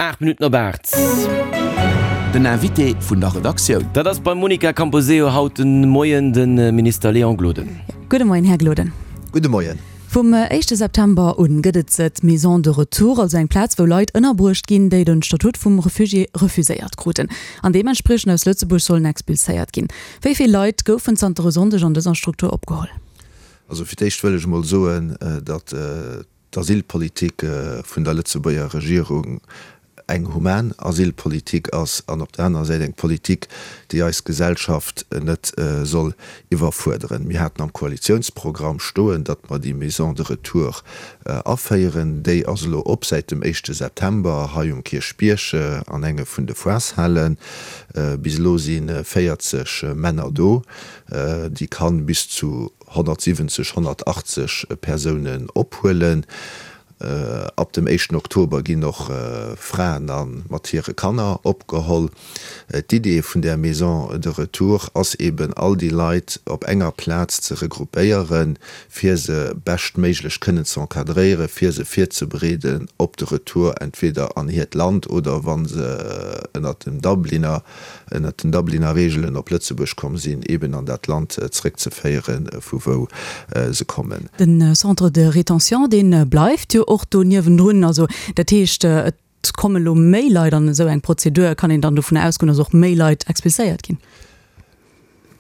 8 Minutten op 8. Den Invité vun der Redaktioun. Dat ass beim Monica Camposeo haut de Moien de Minister Léon Gloden. Gudde Moien, Här Gloden. Gudde Moien. Vum éischte September un gëtt et d'Maison de retour, also eng Plaz, wou Leit ënnerbruecht ginn, déi den Statut vum Refugié refuséiert kruten an deementspriechend aus Lëtzebuerg sollen expulséiert ginn. Wéi vill Leit goufen zanter e Sonndeg an dëser Struktur opgeholl? Also fir d'éischt wëll ech emol soen, datt d'Asylpolitik vun der Lëtzebuerger Regierung eng human Asylpolitik ass an op der anerer Säit eng Politik, déi eis Gesellschaft net soll iwwerfuerderen. Mir haten am Koalitiounsprogramm stoen, datt mer déi Maison de retour aféieren. Déi ass elo op säit dem éischte September hei um Kierchbierg an enge vun de Foireshalen. Bis elo si 40 Männer do. Déi kann bis zu 170, 180 Persounen ophuelen. Ab dem éischten Oktober ginn och Fraen a mat hire Kanner opgeholl. D'Idee vun där Maison de retour ass eben, all déi Leit op enger Plaz ze regroupéieren, fir se beschtméiglech kënnen ze encadréieren, fir se virzebereeden op de Retour entweder an hiert Land oder, wa se ënnert dem Dubliner ënnert den Dubliner Reegelen op Lëtzebuerg komm sinn, eben an dat Land zréckzeféieren, vu wou se kommen. De Centre de rétention, dee bleift jo och do niewendrun. Also dat heescht, et komme lo méi Leit an esou eng Prozedur. Kann een dann dovunner ausgoen, datt och méi Leit expulséiert ginn?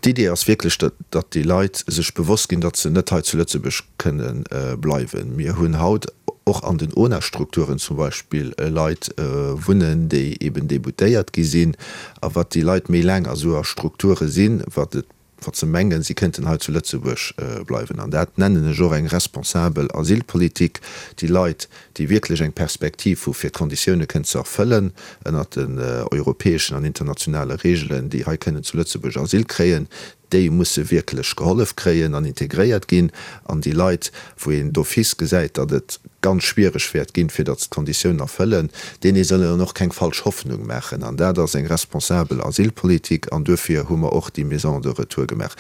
D'Idee ass wierklech, datt déi Leit sech bewosst ginn, datt se net hei zu Lëtzebuerg kënne bleiwen. Mir hunn haut och an den ONA-Strukturen zum Beispill Leit wunnen, déi eben déboutéiert gi sinn. A wat déi Leit méi laang a sou a Strukture sinn, wat et, wat se mengen, si kënnten hei zu Lëtzebuerg bleiwen. An dat nennen ech och eng responsabel Asylpolitik. Déi Leit, déi wierklech eng Perspektiv hu fir d'Konditioune kënnen ze erfëllen ënnert den europäeschen an internationale Reegelen, déi hei kënnen zu Lëtzebuerg Asyl kréien, déi musse wierklech gehollef kréien an integréiert ginn. An déi Leit, wou een d'office gesäit, datt et ganz schwiereg wäert ginn, fir datt se d'Konditiounen erfëllen, deene soll een och keng falsch Hoffnung maachen. An dat ass eng responsabel Asylpolitik an duerfir hu mer och déi Maison de retour gemaach.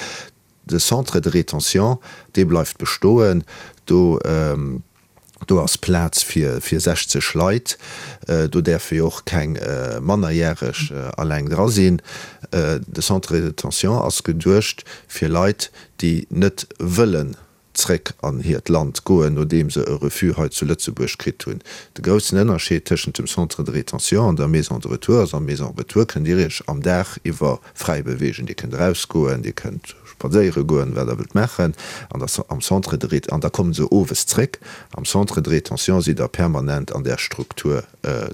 De Centre de rétention, dee bleift bestoen. Do, do ass Plaz fir, fir 60 Leit. Do däerfe jo och keng Mannerjäreg alleng dra sinn. De Centre de rétention ass geduecht fir Leit, déi net wëllen zréck an hiert Land goen, nodeem se e Refus hei zu Lëtzebuerg kritt hunn. De groussen Ënnerscheed tëschent dem Centre de rétention an der Maison de retour ass, Am Maison retour kënnt Dir Iech am Dag iwwer fräi beweegen. Dir kënnt erausgoen, Dir kënnt spadséiere goen, wat Der wëllt maachen. An der, am Centre de ré, an da komme se owes zréck. Am Centre de rétention sidd Der permanent an där Struktur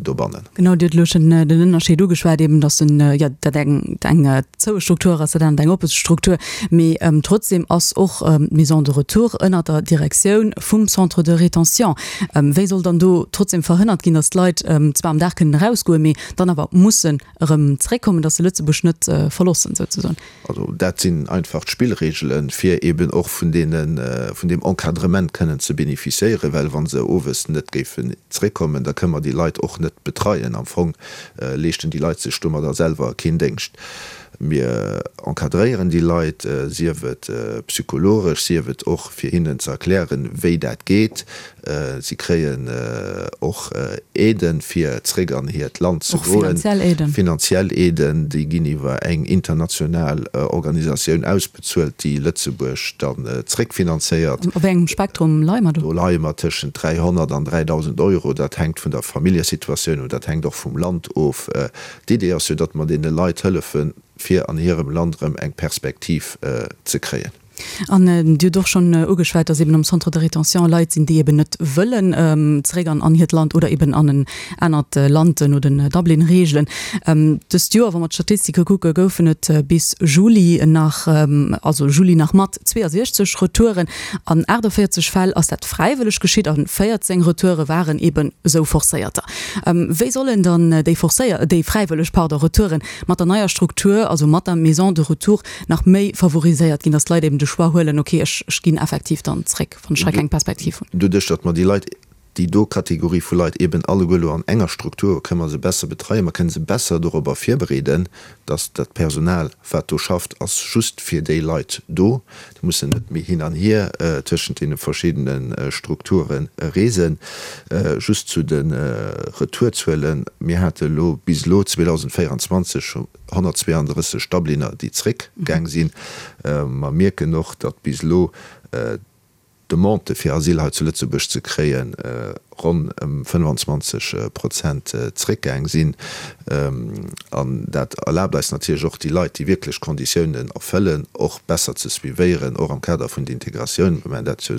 dobannen. Genau, Dir hutt elo schonn den Ënnerscheed ugeschwat, eben datt den, jo, dat eng eng zoue Struktur ass, dat anert eng oppe Struktur. Mee trotzdem ass och d'Maison de retour ënner der Direktioun vum Centre de rétention. Wéi soll dann do trotzdem verhënnert ginn, datt d'Leit zwar am Dag kënnen erausgoen, mee dann awer mussen erëm zréckkommen, datt se Lëtzebuerg net verlossen souzesoen? Also dat sinn einfach d'Spillregelen, fir eben och vun deene, vun deem Encadrement kënnen ze bénéficiéieren, well wa se owes net géifen zréckkommen, da kënnen mer déi Leit och net betreien. Am Fong leeschten déi Leit sech domadder selwer keen Déngscht. Mir encadréieren déi Leit, sief et psychologesch, sief et och fir hinnen ze erklären, wéi dat geet. Si kréien och Aiden, fir zréck an hiert Land ze goen. Och finanziell Aiden. Finanziell Aiden, déi ginn iwwer eng international Organisatioun ausbezuelt, déi Lëtzebuerg dann zréckfinanzéiert. Op wéi engem Spektrum leie mer do? Do leie mer tëschent 300 an 3.000 Euro. Dat hänkt vun der Familljesituatioun of, dat hänkt och vum Land of. D'Idee ass jo, datt mer deene Leit hëllefen, fir an hirem Land erëm eng Perspektiv ze kréien. An Dir hutt och schonn ugeschwat, dass eben am Centre de rétention Leit sinn, déi eben net wëllen zeréck an an hiert Land oder eben an en anert Land no den Dublin-Reegelen. Dëst Joer, wa mer d'Statistike kucken, goufen et bis Juli nach, also Juli nach mat 62 Retouren. An 48 Fäll ass dat fräiwëlleg geschitt a 14 Retoure waren eben esou forcéierter. Wéi sollen dann déi forcéier, déi fräiwëlleg, pardon, Retouren mat der neier Struktur, also mat der Maison de retour, nach méi favoriséiert ginn, dass d'Leit eben de Choix huelen, ok, ech ech ginn effektiv dann zréck, wann ech hei keng Perspektiv hunn. Doduerch, datt mer déi Leit. déi do Kategorie vu Leit eben alleguer elo an enger Struktur, kënne mer se besser betreien, mer kënne se besser dorobber virbereeden, dass dat Personal, wat do schafft, ass just fir déi Leit do. Déi mussen net méi hin an hier tëschent deene verschiddene Strukture reesen. Just zu de Retourzuelen, Mir hate elo bis elo 2024 132 Dubliner, déi zréckgaang sinn. Mer mierken och, datt bis elo d'Demande fir Asyl hei zu Lëtzebuerg ze kréien ronn ëm 25 Prozent zréckgaang sinn. An dat erlaabt eis natierlech och, déi Leit, déi wierklech d'Konditiounen erfëllen, och besser ze suivéieren, och am Kader vun der Integratioun. Mir maachen dat jo,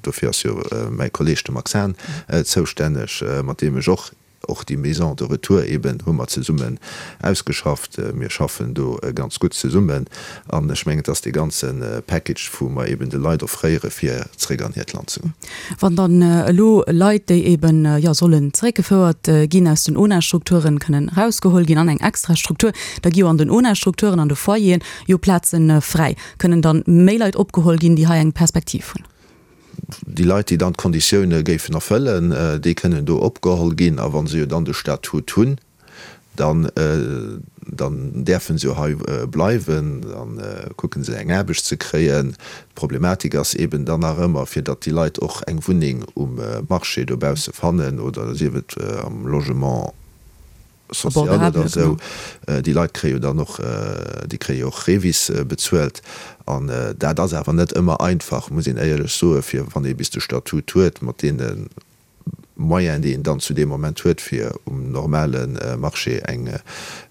dofir ass jo mäi Kolleeg, de Max Hahn, zoustänneg, mat deem ech och Och déi Maison de retour eben hu mer zesummen ausgeschafft. Mir schaffen do ganz gutt zesummen an ech mengen, et ass dee ganze Package, wou mer eben de Leit offréiere fir zréck an hiert Land ze goen. Wann dann elo Leit, déi eben, jo, sollen zeréckgefouert ginn aus den ONA-Strukturen, kënnen erausgeholl ginn an eng extra Struktur, da gi jo an den ONA-Strukturen, an de Foyeren jo Plaze fräi. Kënnen dann méi Leit opgeholl ginn, déi hei eng Perspektiv hunn? Déi Leit, déi dann d'Konditioune géifen erfëllen, déi kënnen do opgeholl ginn. A wa se jo dann de Statut hunn, dann, dann däerfe se jo hei bleiwen. Da kucke se eng Aarbecht ze kréien. D'Problematik ass eeben dann nach ëmmer, fir datt déi Leit och eng Wunneng um Marché dobausse fannen oder sief et am Logement social oder esou, déi Leit kréie jo dann och, déi kréie jo och Revis bezuelt. An dat ass awer net ëmmer einfach, muss een éierlech soen, fir wann ee bis de Statut huet, mat deene Moyenen, déi een dann zu deem Moment huet, fir um normale Marché eng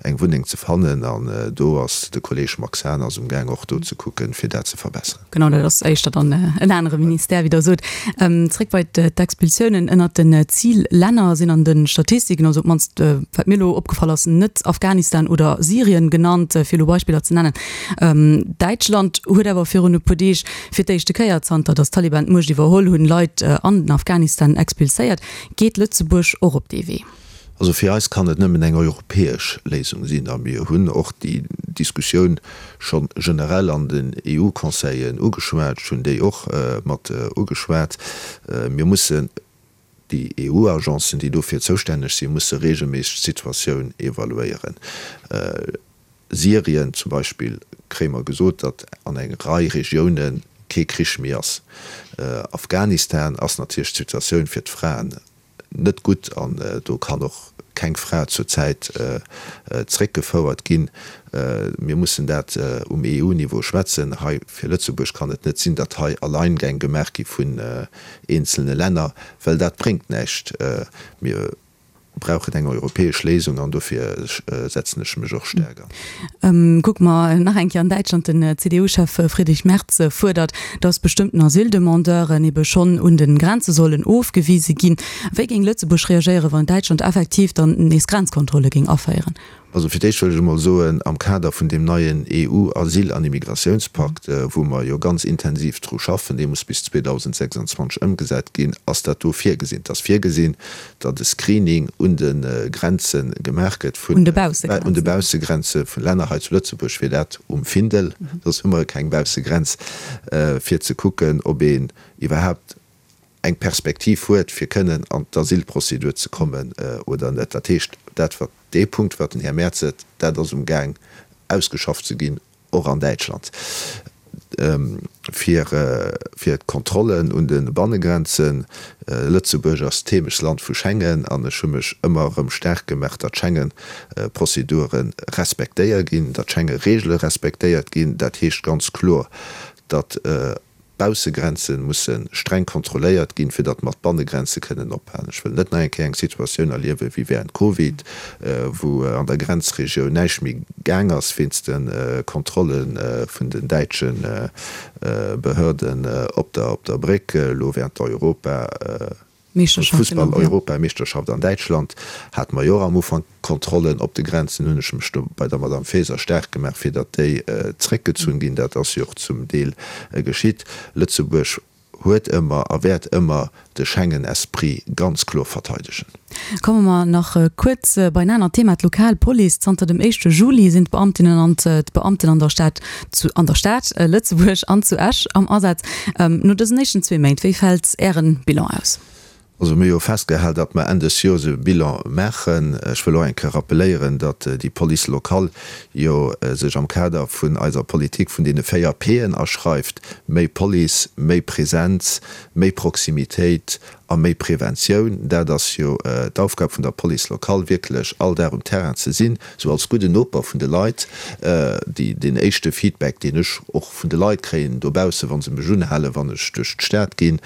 eng Wunneng ze fannen. An do ass de Kolleeg Max Hahn ass umgaang och do ze kucken, fir dat ze verbesseren. Genau, dat ass éischter dann en anere Ministère, wéi Der sot. Zréck bei d'Expulsiounen. Ënnert den Zillänner sinn an de Statistiken, also op d'mannst wat mir elo opgefall ass, net Afghanistan oder Syrien genannt, fir elo Beispiller ze nennen. Däitschland huet awer virun e puer Deeg fir d'éischte Kéier, zanter datt d'Taliban d'Muecht iwwerholl hunn, Leit an den Afghanistan expulséiert. Geet Lëtzebuerg och op dee Wee? Also fir eis kann et nëmmen eng europäesch Léisung sinn a mir hunn och déi Diskussioun scho generell an den EU-Conseillen ugeschwat. Ech hunn déi och mat ugeschwat. Mir mussen déi EU-Agencen, déi dofir zoustänneg sinn, musse regelméisseg d'Situatioun evaluéieren. Syrien zum Beispill kréie mer gesot, datt an eng Rei Regioune kee Krich méi ass. Afghanistan ass natierlech d'Situatioun fir d'Fraen net gutt an do kann och keng Fra zur Zäit zréckgefouert ginn. Mir mussen dat um EU-Niveau schwätzen. Hei fir Lëtzebuerg kann et net sinn, datt hei Alleingäng gemaach gi vun eenzelne Länner, well dat bréngt näischt. Mir brauchen eng europäesch Léisung an dofir setzen ech mech och staark an. Kucke mer nach eng Kéier an Däitschland, Den CDU-Chef Friedrich Merz fuerdert, datt bestëmmten Asyldemandeuren ebe schonn un de Grenze sollen ofgewise ginn. Wéi géing Lëtzebuerg reagéieren, wann Däitschland effektiv dann nees Grenzkontrolle géing aféieren? Also fir d'éischt wëll ech emol soen, am Kader vun deem neien EU-Asyl an Immigratiounspakt, wou mer jo ganz intensiv dru schaffen, dee muss bis 2026 ëmgesat ginn, ass dat do virgesinn. Et ass virgesinn, datt e Screening un de Grenze gemaach gëtt vun, un de Baussegrenze vun Länner. Hei zu Lëtzebuerg wier dat um Findel, soss hu mer keng Baussegrenz, fir ze kucken, ob een iwwerhaapt eng Perspektiv huet, fir kënnen an d'Asylprozedur ze kommen oder net. Dat heescht, dat wat, dee Punkt, wat den Här Merz seet, dat ass umgaang ausgeschafft ze ginn, och an Däitschland, fir, fir d'Kontrollen un de Bannegrenzen. Lëtzebuerg ass d'Heemechtsland vu Schengen an ech hu mech ëmmer erëm staark gemaach, datt Schengen-Prozedure respektéiert ginn, datt Schengen-Regele respektéiert ginn. Dat heescht ganz kloer, datt D'Baussegrenze musse streng kontrolléiert ginn, fir datt mer d'Bannegrenze kënnen ophalen. Ech wëll net nach eng Kéier eng Situatioun erliewen, wéi während Covid, wou an der Grenzregioun näischt méi gaang ass wéinst de Kontrolle vun den däitsche Behörden op der Bréck, elo während der Europa. Fussball-Europameeschterschaft an Däitschland hate mer jo och am Ufank Kontrollen op de Grenzen. Hunn ech mech do bei der Madame Faeser staark gemaach, fir datt déi zréckgezunn ginn. Dat ass jo och zum Deel geschitt. Lëtzebuerg huet ëmmer a wäert ëmmer de Schengen-Esprit ganz kloer verteidegen. Komme mer nach kuerz bei en anert Thema, d'lokal Police. Zanter dem éischte Juli sinn d'Beamtinnen an d'Beamten an der Stad zu an der Stad Lëtzebuerg an zu Esch am Asaz. No dësen éischten zwee Méint, wéi fält Ären Bilan aus? Also mir hu jo festgehal, datt mer Enn des Joers e Bilan maachen. Ech wëll och eng Kéier rappeléieren, datt déi Police locale jo sech am Kader vun eiser Politik vun deene 4 P'en aschreift, méi Police, méi Präsenz, méi Proximitéit a méi Preventioun. Dat ass jo d'Aufgab vun der Police locale, wierklech all Dag um Terrain ze sinn, sou als gudden Noper vun de Leit. Déi, deen éischte Feedback, deen ech och vun de Leit kréien dobaussen, wa se mech unhalen, wann ech duerch d'Stad ginn,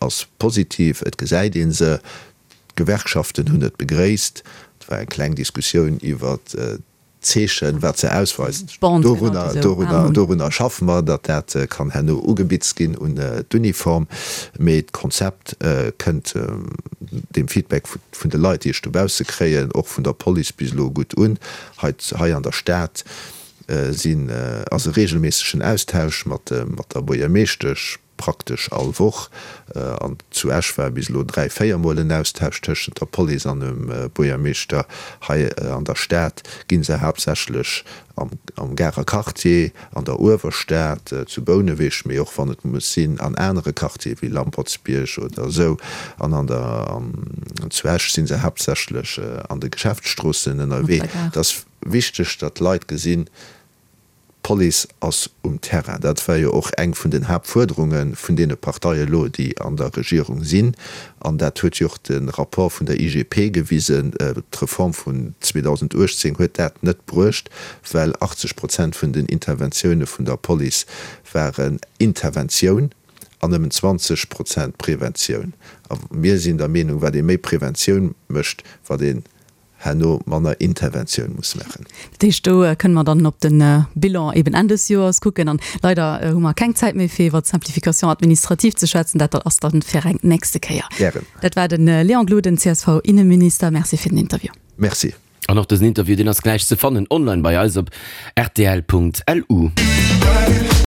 ass positiv. Et gesäit ee se. D'Gewerkschaften hunn et begréisst. Et war eng kleng Diskussioun iwwert d'Zeechen, wat se ausweist. Dorunner, dorunner schaffe mer, datt dat kann herno ugebitzt ginn un d'Uniform. Mee d'Konzept kënnt dem Feedback vun de Leit, déi ech dobausse kréien, och vun der Police bis elo gutt un. Hei, hei an der Stad sinn, ass e reegelméissegen Austausch mat, mat der Buergermeeschtesch, praktesch all Woch. An zu Esch war bis elo 3, 4 Mol en Austausch tëschent der Police an dem Buergermeeschter. Hei an der Stad gi se haaptsächlech am, am Garer Quartier, an der Uewerstad, zu Bouneweg, mee och wann et muss sinn an anere Quartiere wéi Lampertsbierg oder esou. An an der, an zu Esch si se haaptsächlech an de Geschäftsstroossen ënnerwee. Et ass wichteg, datt d'Leit gesinn, D'Police ass um Terrain. Dat war jo och eng vun den Haaptfuerderunge vun deene Parteie elo, déi an der Regierung sinn. An dat huet jo och de Rapport vun der IGP gewisen. D'Reform vun 2018 huet dat net bruecht, well 80 Prozent vun den Interventioune vun der Police waren Interventioun an nëmmen 20 Prozent Preventioun. A mir sinn der Meenung, wat ee méi Preventioun mécht, wat ee herno manner Interventioun muss maachen. Dat heescht, do kënne mer dann op de Bilan eben Enn des Joers kucken. An leider hu mer keng Zäit méi, fir iwwer d'Simplification administrative ze schwätzen. Dat ass dann fir eng nächste Kéier. Gären. Dat war de Léon Gloden, CSV-Inneminister. Merci fir den Interview. Merci. An och dësen Interview, deen ass gläich ze fannen online bei eis op rtl.lu.